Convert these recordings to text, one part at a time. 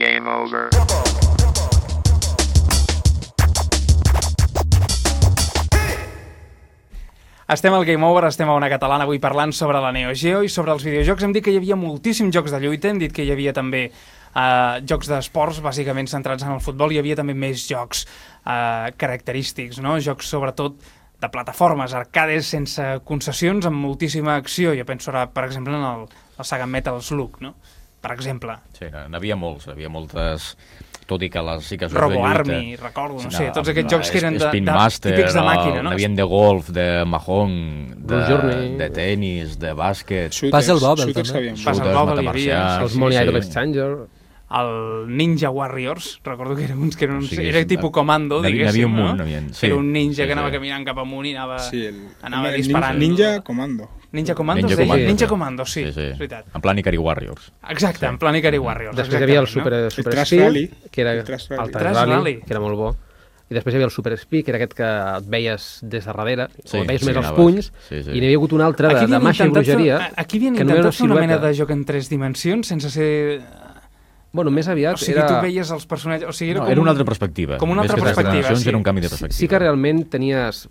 Game over. Estem al Game Over, estem a Ona Catalana avui parlant sobre la Neo Geo i sobre els videojocs. Hem dit que hi havia moltíssims jocs de lluita, hem dit que hi havia també jocs d'esports, bàsicament centrats en el futbol. Hi havia també més jocs característics, no? Jocs sobretot de plataformes, arcades sense concessions, amb moltíssima acció. Jo penso ara, per exemple, en la saga Metal Slug, no? Per exemple. Sí, n'havia moltes... Tot i que les sí que Robo Army, recordo, no sé, tots aquests jocs que eren típics de màquina, no? N'havien de golf, de mahjong, de tenis, de bàsquet... Puzzle Bobble, també. Puzzle Bobble hi havia. Els Money Idol Exchanger... El Ninja Warriors, recordo que era tipus comando, diguéssim, no? Era un ninja que anava caminant cap amunt i anava disparant. Ninja Comando. Ninja Comando, sí. Ninja Comando, sí, és veritat. En plan Ikari Warriors. Exacte, en plan Ikari Warriors. Després hi havia el Super Speed, que era el Trash Rally, que era molt bo. I després hi havia el Super Speed, que era aquest que et veies des de darrere, o et veies més els punys, i n'hi havia hagut un altre de màgia i bruixeria. Aquí havien intentat fer una mena de joc en 3 dimensions, sense ser... Bueno, més aviat era... O sigui, tu veies els personatges... O sigui, era una altra perspectiva. Com una altra perspectiva, sí. Era un canvi de perspectiva. Sí que realment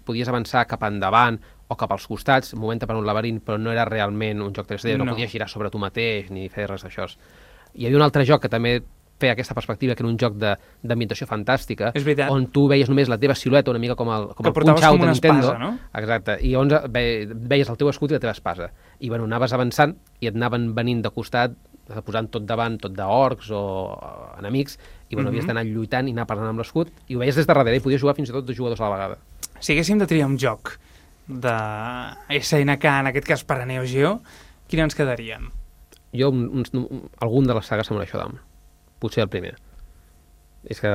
podies avançar cap endavant o cap als costats, movent per un laberint, però no era realment un joc 3D, no podies girar sobre tu mateix ni fer res d'això. Hi havia un altre joc que també feia aquesta perspectiva, que era un joc d'ambientació fantàstica, on tu veies només la teva silueta, una mica com el Punch-Out de Nintendo. No? Exacte, i on veies el teu escut i la teva espasa. I bueno, anaves avançant i et anaven venint de costat, posant tot davant, tot d'orcs o enemics, i bueno, havies d'anar lluitant i anar parlant amb l'escut, i ho veies des de darrere, i podies jugar fins i tot 2 jugadors a la vegada. Si haguéssim de triar un joc de SNK, en aquest cas per a Neo Geo, quin ens quedaríem? Jo, algun de les sagues Samurai Shodown. Potser el primer. És que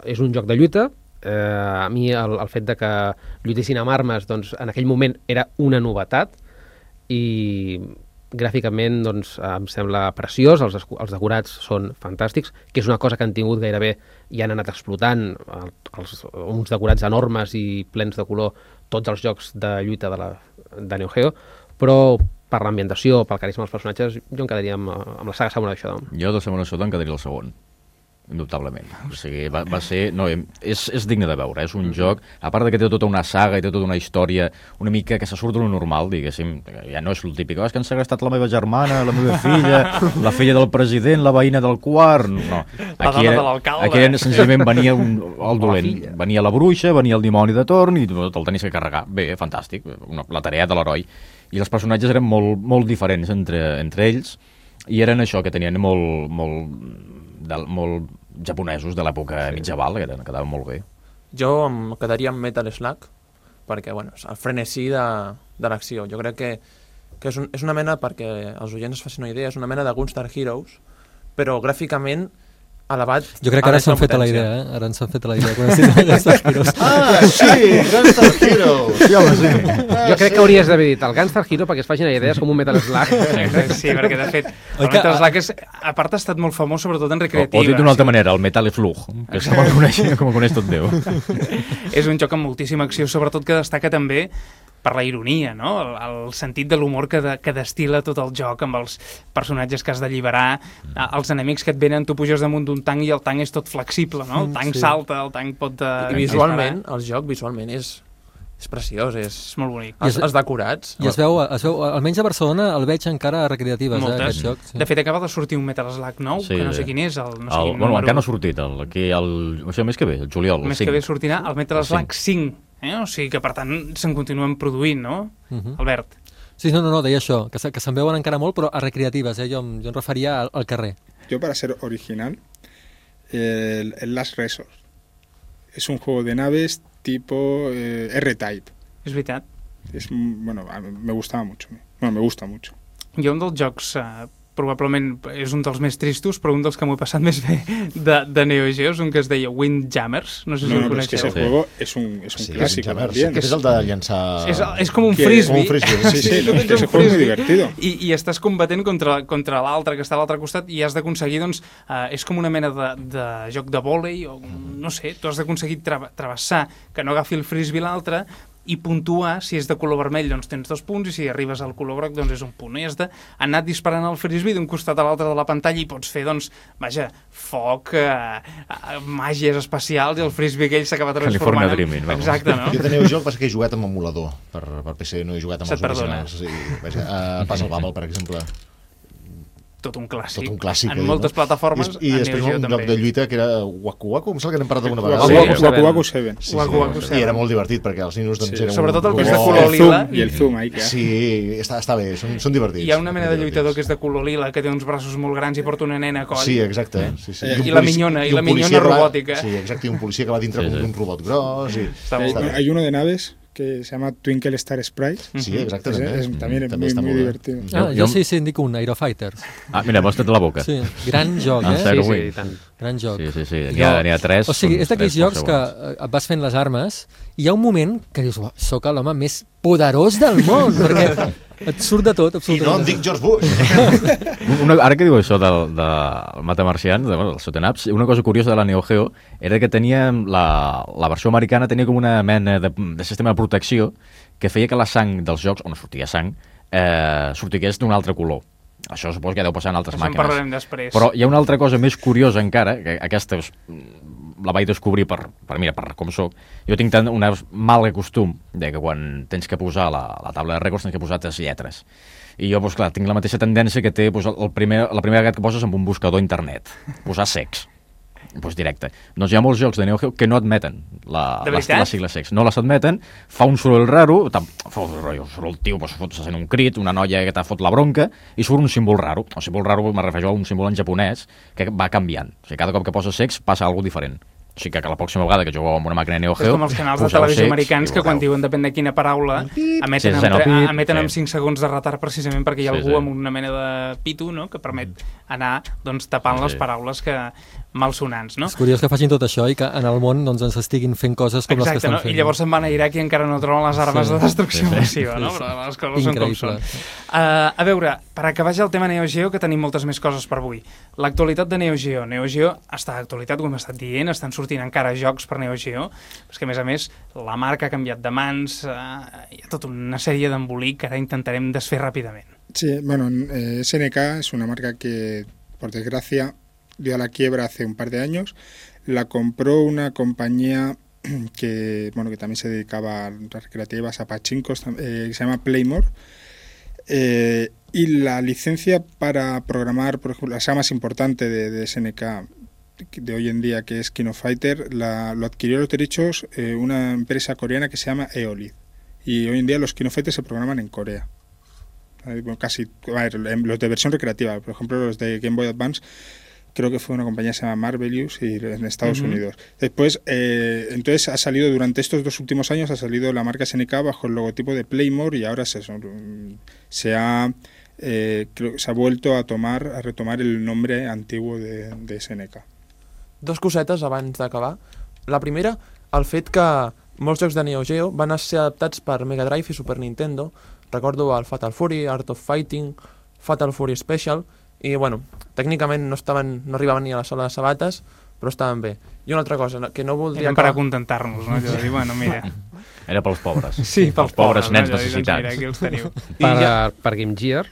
és un joc de lluita. A mi el fet de que lluitessin amb armes, doncs, en aquell moment era una novetat, i gràficament doncs, em sembla preciós, els decorats són fantàstics, que és una cosa que han tingut gairebé i han anat explotant, uns decorats enormes i plens de color, tots els jocs de lluita de Neo Geo, però per l'ambientació, pel carisma dels personatges, jo em quedaria amb la saga Samurai Shodown. Jo de Samurai Shodown quedaria el segon, indubtablement. O sigui, va ser... No, és digne de veure, és un joc, a part de que té tota una saga i té tota una història una mica que se surt d'una normal, diguéssim, ja no és el típic, és que han segrestat la meva germana, la meva filla, la filla del president, la veïna del quart... No, aquí senzillament venia el dolent, venia la bruixa, venia el dimoni de torn i te'l tenies que carregar. Bé, fantàstic, la tarea de l'heroi. I els personatges eren molt diferents entre ells i eren això, que tenien molt japonesos de l'època mitjaval, que quedaven molt bé. Jo em quedaria amb Metal Slug, perquè bueno, el frenesí de l'acció. Jo crec que és una mena, perquè els oients es facin una idea, és una mena de Gunstar Heroes, però gràficament elevat. Jo crec que ara s'han fet a la idea, Ara ens han fet a la idea quan has dit Gunstar Heroes. Sí, Gunstar Heroes! Sí, home, sí. Jo crec que hauries d'haver dit el Gunstar Hero perquè es facin una idea, és com un Metal Slug. Sí, perquè de fet, el Metal Slug a part ha estat molt famós, sobretot en recreativa. O dit d'una altra manera, el Metal Slug, que se'l coneix tot Déu. És un joc amb moltíssima acció, sobretot que destaca també per la ironia, no? El sentit de l'humor que destila tot el joc amb els personatges que has d'alliberar, els enemics que et venen, tu puges damunt d'un tanc i el tanc és tot flexible, no? El tanc salta, el tanc pot... I visualment, el joc visualment és preciós, és molt bonic. Els decorats. I es veu, almenys a Barcelona el veig encara a recreatives, aquest joc. De fet, acaba de sortir un Metal Slug nou, que no sé quin és, bueno, encara no ha sortit, el mes que ve, el juliol, el 5. El mes que ve sortirà el Metal Slug 5. O sigui que, per tant, se'n continuen produint, no, Albert? Sí, no, deia això, que se'n veuen encara molt, però a recreatives, jo em referia al carrer. Yo, para ser original, el Last Resort. Es un juego de naves tipo R-Type. És veritat. Bueno, me gustaba mucho. Bueno, me gusta mucho. Jo un dels jocs... probablement és un dels més tristos, però un dels que m'ho he passat més bé de Neo Geo és un que es deia Windjammers. No sé si el coneixeu. Es que ese juego es un clásico también. És el de llançar... És com un frisbee. Sí, ese juego es muy divertido. I estàs combatent contra l'altre que està a l'altre costat i has d'aconseguir, doncs, és com una mena de joc de vòlei, o no sé, tu has d'aconseguir travessar, que no agafi el frisbee l'altre, i puntuar. Si és de color vermell, doncs tens 2 punts, i si arribes al color groc, doncs és 1 punt. I has d'anar disparant el frisbee d'un costat a l'altre de la pantalla i pots fer, doncs, vaja, foc, màgies especials, i el frisbee aquell s'acaba transformant. California Dreaming, vamos. Exacte, no? Jo tenia un joc, passa que he jugat amb emulador per PC, no he jugat amb Se't els perdona. originals. Sí, vaja, Puzzle Bubble, per exemple. Tot un clàssic. Tot un clàssic. En moltes plataformes, I a després Neo Geo un també. joc de lluita que era Waku Waku, em sembla que n'hem parlat alguna vegada. Waku Waku 7. Waku Waku I 7. era molt divertit, perquè els ninos doncs, eren Sobretot el que és un de color- color lila. I el zoom ahí que Sí, està bé, són divertits. Hi ha una mena de lluitador que és divertits. de color lila, que té uns braços molt grans i porta una nena a coll. Sí, exacte. Sí, sí. I la minyona, un policia que va- robòtica. Sí, exacte, i un policia que va dintre Sí, com sí. un robot gros. I... Està molt bé. Hay uno de naves que se llama Twinkle Star Sprites. Sí, exacte. También es També muy, està muy molt bé. divertido. Jo sí, indico un Aerofighters. Ah, mira, m'has tret la boca. Sí, gran joc, Ah, eh? Zero Sí, Wing. i tant. Gran joc. Sí, n'hi ha 3. O sigui, és d'aquells jocs que et vas fent les armes i hi ha un moment que dius, "Uah, sóc l'home més poderós del món, perquè et surt de tot, I absolutament. no em dic George Bush. Ara que diu això del Matamarcians, del Sotenaps, una cosa curiosa de la Neo Geo era que tenia la versió americana tenia com una mena de sistema de protecció que feia que la sang dels jocs, on sortia sang, sortigués d'un altre color. Això suposo que ja deu passar en altres Això en màquines. parlarem després. Però hi ha una altra cosa més curiosa encara, que aquesta la vaig descobrir per com soc. Jo tinc tant un mal costum de que quan tens que posar la taula de rècords tens que posar 3 lletres. I jo, doncs, clar, tinc la mateixa tendència que té doncs, la primera vegada que poses amb un buscador a internet. Posar sex. Doncs directe. Doncs hi ha molts jocs de Neo Geo que no admeten De veritat? les sigles sex. No les admeten, fa un soroll raro, surt el tio, doncs, se sent un crit, una noia que t'ha fot la bronca, i surt un símbol raro. El símbol raro me refereixo a un símbol en japonès que va canviant. O sigui, cada cop que poses sex passa alguna cosa diferent. O sigui que la pròxima vegada que jugueu amb una màquina Neo És Geo... com els canals de poseu televisió sex americans i que quan veureu. diuen depèn de quina paraula emeten, Sí, sent el pit, emeten amb sí. 5 segons de retard precisament perquè hi ha Sí, algú sí. amb una mena de pitu, no?, que permet anar doncs, tapant Sí, les sí. paraules que malsonants, no? És curiós que facin tot això i que en el món doncs, ens estiguin fent coses com les que Exacte, estan no? fent. I llavors se'n van a Iraq i encara no troben les armes Sí. de destrucció Sí, sí. massiva, no? Sí, sí. Però les coses són com són. Increïble. A veure, per acabar ja el tema Neo Geo, que tenim moltes més coses per avui. L'actualitat de Neo Geo. Neo Geo està d'actualitat, ho hem estat dient, estan sortint encara jocs per Neo Geo, però és que a més, la marca ha canviat de mans, hi ha tota una sèrie d'embolic que ara intentarem desfer ràpidament. Sí, bueno, SNK es una marca que, por desgracia, dio a la quiebra hace un par de años. La compró una compañía que también se dedicaba a las recreativas, a pachincos, se llama Playmore. Y la licencia para programar, por ejemplo, la saga más importante de SNK de hoy en día, que es King of Fighter, lo adquirió los derechos una empresa coreana que se llama Eolid. Y hoy en día los King of Fighter se programan en Corea. Casi, los de versión recreativa, por ejemplo los de Game Boy Advance, creo que fue una compañía que se llama Marvelous y en Estados Unidos. Después, entonces ha salido, durante estos 2 últimos años, ha salido la marca SNK bajo el logotipo de Playmore y ahora se ha vuelto a retomar el nombre antiguo de SNK. 2 cosetes abans d'acabar. La primera, el fet que molts jocs de Neo Geo van ser adaptats per Mega Drive i Super Nintendo. Recordo el Fatal Fury, Art of Fighting, Fatal Fury Special, i bueno, tècnicament no arribaven ni a la sala de sabates, però estaven bé. I una altra cosa, que no voldria... Eren per acontentar-nos, no? Allò de dir, bueno, mira... Era pels pobres. Sí, pels pobres nens no? Allò de dir, doncs, necessitats. mira, aquí els teniu. Per Game Gear,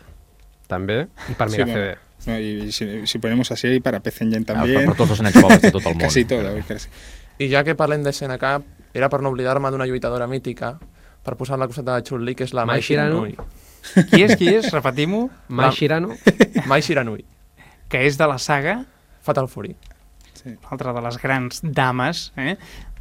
també, i per Sí, Mega bueno. CD. No, y si ponemos así, y para PC Engine Per también, tots els nens pobres de tot el món. casi todo. Casi. I ja que parlem de SNK, era per no oblidar-me d'una lluitadora mítica, per posar la coseta de Chun-Li, que és la Mai Mai Shiranui. Qui és? Repetim-ho. Mai Shirano, Mai Shiranui. Que és de la saga, Fatal Fury. altra de les grans dames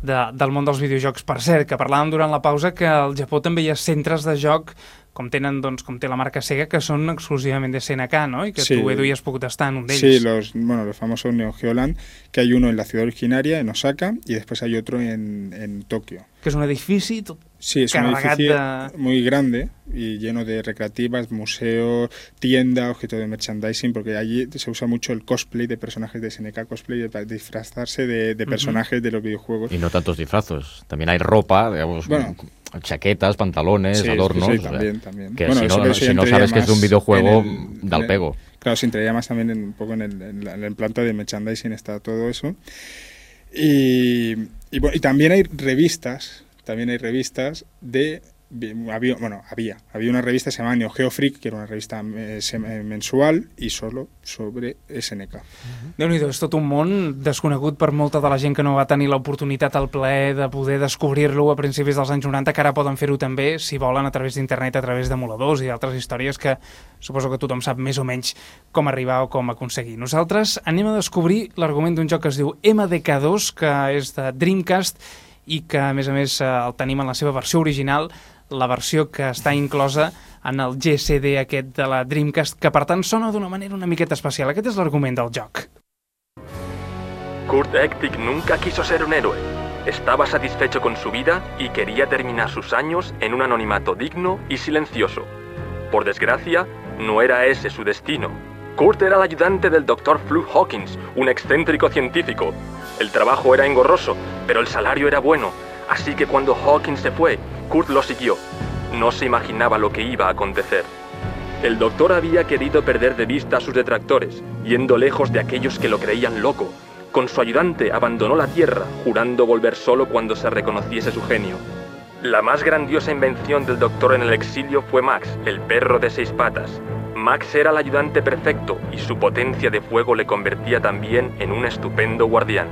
del món dels videojocs. Per cert, que parlàvem durant la pausa que al Japó també hi ha centres de joc com té la marca Sega, que són exclusivament de SNK, ¿no? Y que Sí. tú, Edu, ya has podido estar en un de Sí, ellos. los famosos Neo Geo Land, que hay uno en la ciudad originaria, en Osaka, y después hay otro en Tokio. Que és un edifici tot Sí, es un carregat edificio muy grande y lleno de recreativas, museo, tienda, objeto de merchandising, porque allí se usa mucho el cosplay de personajes de SNK, cosplay para disfrazarse de personajes de los videojuegos. Y no tantos disfrazos. También hay ropa, digamos, Bueno. chaquetas, pantalones, Sí, adornos. sí, o sea, también. Que Bueno, si eso no ya entraría sabes que es de un más videojuego, en del pego. Claro, se entraría más también un poco en la planta de merchandising, está todo eso. Y también hay revistas también hay revistas había una revista que se llamaba Neo Geo Freak, que era una revista mensual y solo sobre SNK. Déu-n'hi-do, és tot un món desconegut per molta de la gent que no va tenir l'oportunitat, el plaer de poder descobrir-lo a principis dels anys 90, que ara poden fer-ho també, si volen, a través d'internet, a través d'emuladors i d'altres històries que suposo que tothom sap més o menys com arribar o com aconseguir. Nosaltres anem a descobrir l'argument d'un joc que es diu MDK2, que és de Dreamcast i que, a més, el tenim en la seva versió original, la versió que està inclosa en el GCD aquest de la Dreamcast, que per tant sona d'una manera una miqueta especial. Aquest és l'argument del joc. Kurt Ektik nunca quiso ser un héroe. Estaba satisfecho con su vida y quería terminar sus años en un anonimato digno y silencioso. Por desgracia, no era ese su destino. Kurt era el ayudante del Dr. Fluke Hawkins, un excéntrico científico. El trabajo era engorroso, pero el salario era bueno. Así que cuando Hawkins se fue, Kurt lo siguió. No se imaginaba lo que iba a acontecer. El doctor había querido perder de vista a sus detractores, yendo lejos de aquellos que lo creían loco. Con su ayudante abandonó la Tierra, jurando volver solo cuando se reconociese su genio. La más grandiosa invención del doctor en el exilio fue Max, el perro de 6 patas. Max era el ayudante perfecto y su potencia de fuego le convertía también en un estupendo guardián.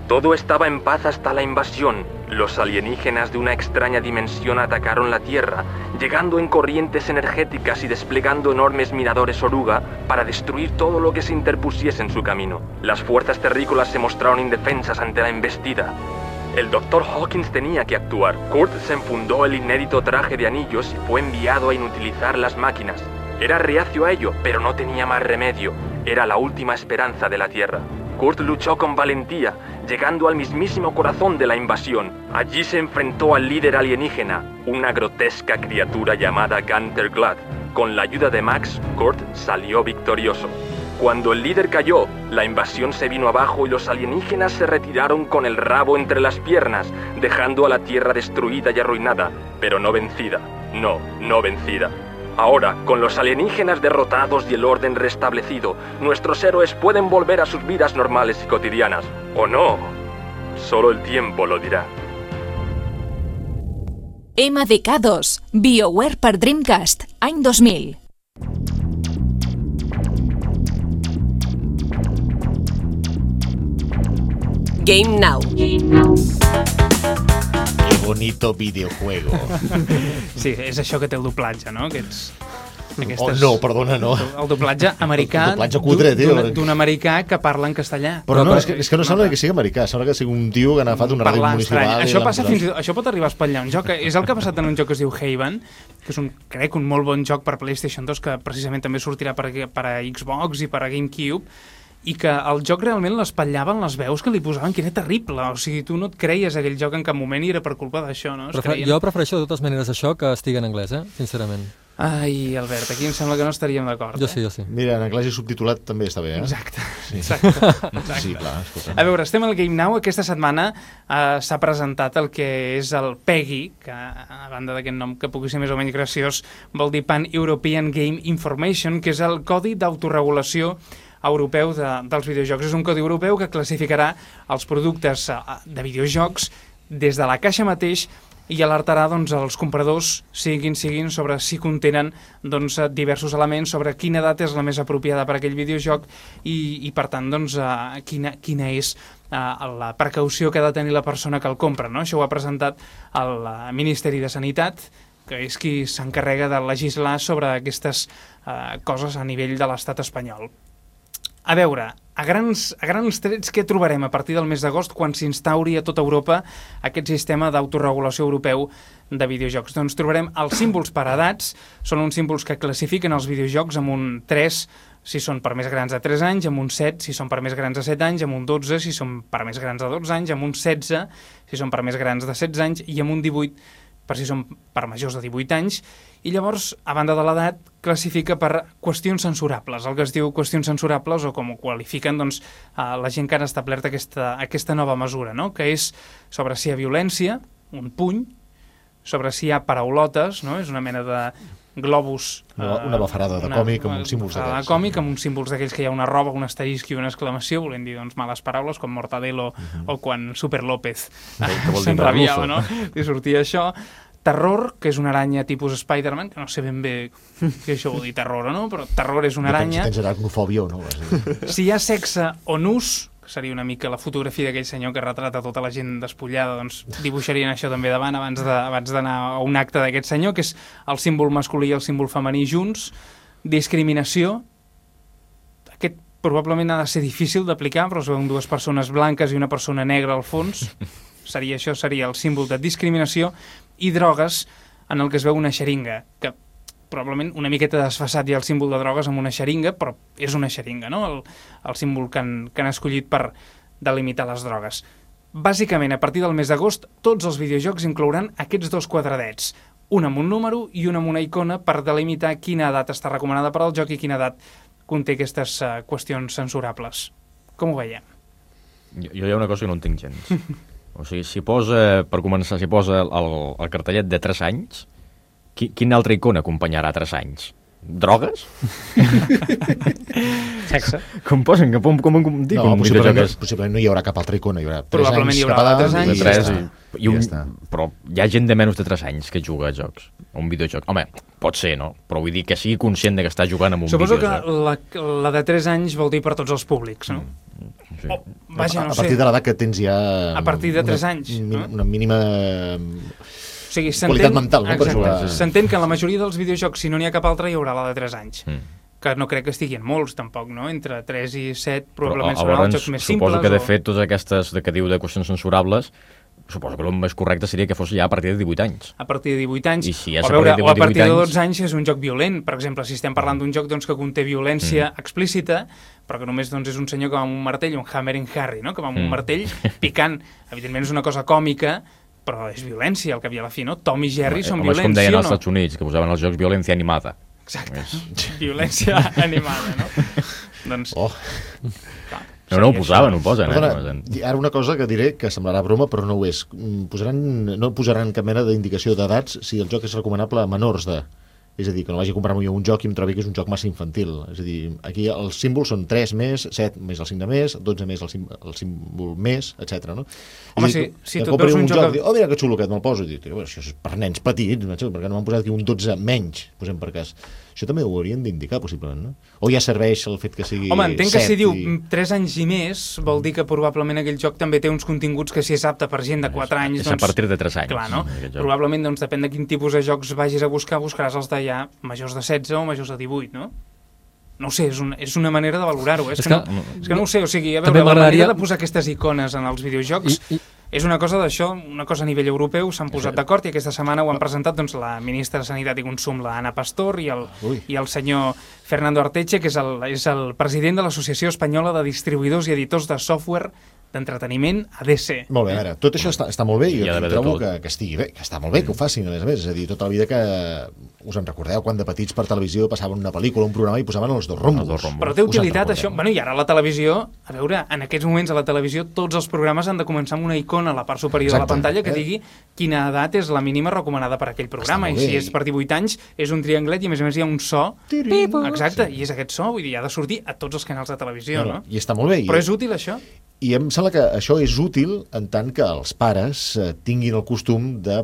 Todo estaba en paz hasta la invasión. Los alienígenas de una extraña dimensión atacaron la Tierra, llegando en corrientes energéticas y desplegando enormes miradores oruga para destruir todo lo que se interpusiese en su camino. Las fuerzas terrícolas se mostraron indefensas ante la embestida. El Dr. Hawkins tenía que actuar. Kurt se enfundó el inédito traje de anillos y fue enviado a inutilizar las máquinas. Era reacio a ello, pero no tenía más remedio. Era la última esperanza de la Tierra. Kurt luchó con valentía, llegando al mismísimo corazón de la invasión. Allí se enfrentó al líder alienígena, una grotesca criatura llamada Gunter Glad. Con la ayuda de Max, Kurt salió victorioso. Cuando el líder cayó, la invasión se vino abajo y los alienígenas se retiraron con el rabo entre las piernas, dejando a la Tierra destruida y arruinada, pero no vencida. No vencida. Ahora, con los alienígenas derrotados y el orden restablecido, nuestros héroes pueden volver a sus vidas normales y cotidianas. ¿O no? Solo el tiempo lo dirá. MDK2, BioWare per Dreamcast, any 2000. Game Now. Qué bonito videojuego. Sí, és això que té el doblatge, no? Oh, no, perdona, no. El doblatge americà, El doblatge cutre, tio. d'un americà que parla en castellà. Però no, és que no sembla que sigui americà, sembla que sigui un tio que ha agafat una ràdio municipal. Això pot arribar a espatllar un joc. És el que ha passat en un joc que es diu Haven, que és crec un molt bon joc per PlayStation 2, que precisament també sortirà per a Xbox i per a GameCube, i que el joc realment l'espatllaven les veus que li posaven, que era terrible. O sigui, tu no et creies aquell joc en cap moment i era per culpa d'això, no? Jo prefereixo de totes maneres això que estigui en anglès, sincerament. Ai, Albert, aquí em sembla que no estaríem d'acord. Jo sí. Mira, en anglès i subtitulat també està bé, Exacte. Sí, clar, escolta. A veure, estem al Game Now. Aquesta setmana s'ha presentat el que és el PEGI, que a banda d'aquest nom que pugui ser més o menys graciós, vol dir Pan-European Game Information, que és el codi d'autoregulació europeu dels videojocs. És un codi europeu que classificarà els productes de videojocs des de la caixa mateix i alertarà els compradors, siguin, sobre si contenen diversos elements, sobre quina edat és la més apropiada per a aquell videojoc i per tant, quina és la precaució que ha de tenir la persona que el compra, no? Això ho ha presentat el Ministeri de Sanitat, que és qui s'encarrega de legislar sobre aquestes coses a nivell de l'estat espanyol. A veure, a grans trets, què trobarem a partir del mes d'agost quan s'instauri a tota Europa aquest sistema d'autoregulació europeu de videojocs? Doncs trobarem els símbols per edats, són uns símbols que classifiquen els videojocs amb un 3 si són per més grans de 3 anys, amb un 7 si són per més grans de 7 anys, amb un 12 si són per més grans de 12 anys, amb un 16 si són per més grans de 16 anys i amb un 18 per si són per majors de 18 anys, i llavors, a banda de l'edat, classifica per qüestions censurables, el que es diu qüestions censurables, o com ho qualifiquen la gent que ha establert aquesta nova mesura, no? Que és sobre si hi ha violència, un puny, sobre si hi ha paraulotes, no? És una mena de globus... Una bafarada de còmic amb uns símbols d'aquells. d'aquells. De còmic amb uns símbols d'aquells que hi ha una roba, un asterisc i una exclamació, volent dir doncs, males paraules, com Mortadelo o quan Super López s'enrabiava, no? I sortia això. Terror, que és una aranya tipus Spider-Man, que no sé ben bé què això vol dir terror o no, però terror és una aranya. Si tens aracnofòbia o no. Si hi ha sexe o nus, que seria una mica la fotografia d'aquell senyor que retrata tota la gent despullada, doncs dibuixarien això també davant abans d'anar a un acte d'aquest senyor, que és el símbol masculí i el símbol femení junts. Discriminació. Aquest probablement ha de ser difícil d'aplicar, però es veuen dues persones blanques i una persona negra al fons. Això seria el símbol de discriminació. I drogues, en el que es veu una xeringa, que probablement una miqueta desfasat ja el símbol de drogues amb una xeringa, però és una xeringa, no? El símbol que han escollit per delimitar les drogues. Bàsicament, a partir del mes d'agost, tots els videojocs inclouran aquests dos quadradets, un amb un número i un amb una icona per delimitar quina edat està recomanada per al joc i quina edat conté aquestes qüestions censurables. Com ho veiem? Jo hi ha una cosa que no entenc gens. O sigui, si posa, per començar, si posa el cartellet de 3 anys, quina altra icona acompanyarà 3 anys? Drogues? Sexe. Com posen? Com dic? No, possiblement no hi haurà cap altra icona. Hi haurà 3 probablement anys hi haurà cap a 3 anys. i ja està. Però hi ha gent de menys de 3 anys que juga a jocs, a un videojoc. Home, pot ser, no? Però vull dir que sigui conscient de que està jugant amb un videojoc. videojoc. Suposo que la de 3 anys vol dir per tots els públics, no? Sí. Vaja, no sé. A partir de l'edat que tens ja... A partir de 3 anys. Una mínima... O sigui, qualitat mental, no? Per jugar. S'entén que en la majoria dels videojocs, si no n'hi ha cap altre, hi haurà la de 3 anys. Que no crec que estiguin molts, tampoc, no? Entre 3 i 7 probablement seran els jocs més simples. Suposo que, de fet, totes aquestes que diu de qüestions censurables, suposo que el més correcte seria que fos ja a partir de 18 anys. A partir de 18 anys. I si és o a partir de 12 anys és un joc violent. Per exemple, si estem parlant d'un joc doncs, que conté violència explícita, però que només doncs, és un senyor que va amb un martell, un Hammering Harry, no? Que va amb un martell picant. Evidentment és una cosa còmica, però és violència, al cap i a la fi, no? Tom i Jerry són violents, com deien sí o als no? Estats Units, que posaven els jocs violència animada. Exacte, violència animada, no? Doncs... No ho posaven, ho posen. Perdona, ara una cosa que diré que semblarà broma, però no ho és. No posaran cap mena d'indicació d'edats si el joc és recomanable a menors de... És a dir, que no vagi a comprar-me jo un joc i em trobi que és un joc massa infantil. És a dir, aquí els símbols són 3 més, 7 més el 5 de més, 12 més el símbol més, etc. No? Home, si tu veus un joc... Oh, mira que xulo aquest, me'l poso. I dic, això és per nens petits, perquè no m'han posat aquí un 12 menys, posem per cas. Això també ho haurien d'indicar, possiblement, no? O ja serveix el fet que sigui 7... Home, entenc que si diu 3 anys i més, vol dir que probablement aquell joc també té uns continguts que si és apte per gent de 4 anys... És a partir de 3 anys. Clar, no? Probablement, doncs, depèn de quin tipus de jocs vagis a buscar, buscaràs els de ja majors de 16 o majors de 18, no? No ho sé, és una manera de valorar-ho. És que no ho sé, o sigui, a veure, la manera de posar aquestes icones en els videojocs... És una cosa d'això, una cosa a nivell europeu, s'han posat d'acord i aquesta setmana ho han presentat doncs, la ministra de Sanitat i Consum, la Ana Pastor, i el senyor Fernando Arteche, que és el president de l'Associació Espanyola de Distribuïdors i Editors de Software d'Entreteniment, ADC. Molt bé, a veure, tot això està molt bé i jo trobo que estigui bé, que està molt bé que ho facin, a més. És a dir, tota la vida que us en recordeu quan de petits per televisió passaven una pel·lícula, un programa i posaven els dos rombos. Però té utilitat això. Bueno, i ara la televisió, a veure, en aquests moments a la televisió tots els programes han de començar amb una icona a la part superior de la pantalla que digui quina edat és la mínima recomanada per a aquell programa. I si és per 18 anys és un trianglet i a més hi ha un so. Exacte, i és aquest so, vull dir, ha de sortir a tots els canals de televisió, no? I està molt bé. Però és útil això? I em sembla que això és útil en tant que els pares tinguin el costum de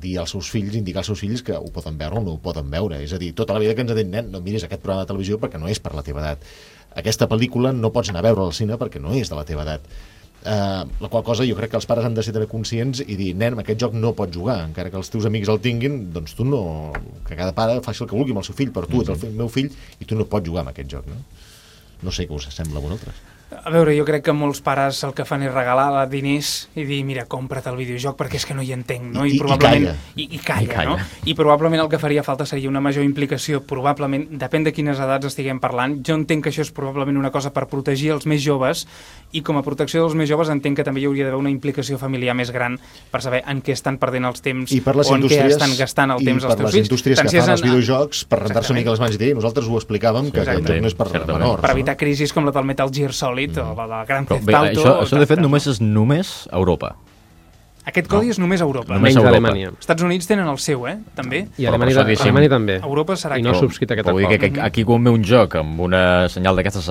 dir als seus fills, indicar als seus fills que ho poden veure o no ho poden veure. És a dir, tota la vida que ens ha dit, nen, no miris aquest programa de televisió perquè no és per la teva edat. Aquesta pel·lícula no pots anar a veure al cine perquè no és de la teva edat. La qual cosa jo crec que els pares han de ser també conscients i dir, nen, aquest joc no pots jugar, encara que els teus amics el tinguin, doncs tu no... Que cada pare faci el que vulgui amb el seu fill, però tu ets el meu fill i tu no pots jugar amb aquest joc, no? No sé què us sembla a vosaltres. A veure, jo crec que molts pares el que fan és regalar diners i dir, mira, compra't el videojoc perquè és que no hi entenc, no? I probablement... I calla, no? I probablement el que faria falta seria una major implicació, probablement, depèn de quines edats estiguem parlant. Jo entenc que això és probablement una cosa per protegir els més joves i com a protecció dels més joves entenc que també hi hauria d'haver una implicació familiar més gran per saber en què estan perdent els temps o en què estan gastant el temps els teus fills. I per les indústries que fan els videojocs, per rentar-se una mica les mans i dir, nosaltres ho explicàvem, que aquest joc no és per menors. Per evitar crisis com la del Metal Gear Solid o la del Grand Theft Auto... Això de fet només és a Europa. Aquest codi és només a Europa. Només Menys a Europa. Alemanya. Estats Units tenen el seu, també. I Però Alemanya, per això diguéssim, Alemanya també. Europa serà I no ha aquí. subscrit aquest Vull dir acord. que aquí quan ve un joc amb una senyal d'aquestes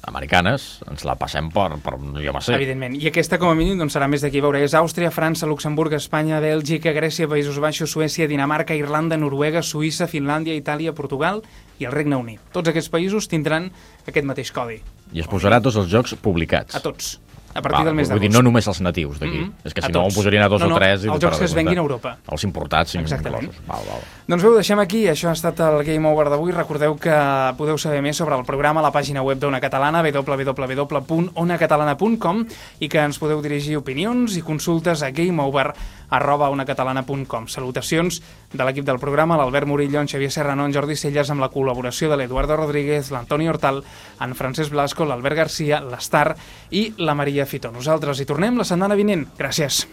americanes, ens la passem per jo no sé. Evidentment. I aquesta, com a mínim, doncs, serà més d'aquí. Veure, és Àustria, França, Luxemburg, Espanya, Bèlgica, Grècia, Països Baixos, Suècia, Dinamarca, Irlanda, Noruega, Suïssa, Finlàndia, Itàlia, Portugal i el Regne Unit. Tots aquests països tindran aquest mateix codi. I es posarà a tots els jocs publicats. A tots. A partir del mes Vull dir, d'agost. no només els natius d'aquí. És que A si no, tots. posarien a dos o tres... els jocs que es venguin a Europa. Els importats, Exactament. inclosos. Val. Doncs bé, ho deixem aquí. Això ha estat el Game Over d'avui. Recordeu que podeu saber més sobre el programa a la pàgina web d'Ona Catalana, www.onacatalana.com, i que ens podeu dirigir opinions i consultes a gameover@onacatalana.com. Salutacions de l'equip del programa, l'Albert Murillo, en Xavier Serrano, en Jordi Celles, amb la col·laboració de l'Eduardo Rodríguez, l'Antoni Hortal, en Francesc Blasco, l'Albert Garcia, l'Estar i la Maria Fitó. Nosaltres hi tornem la setmana vinent. Gràcies.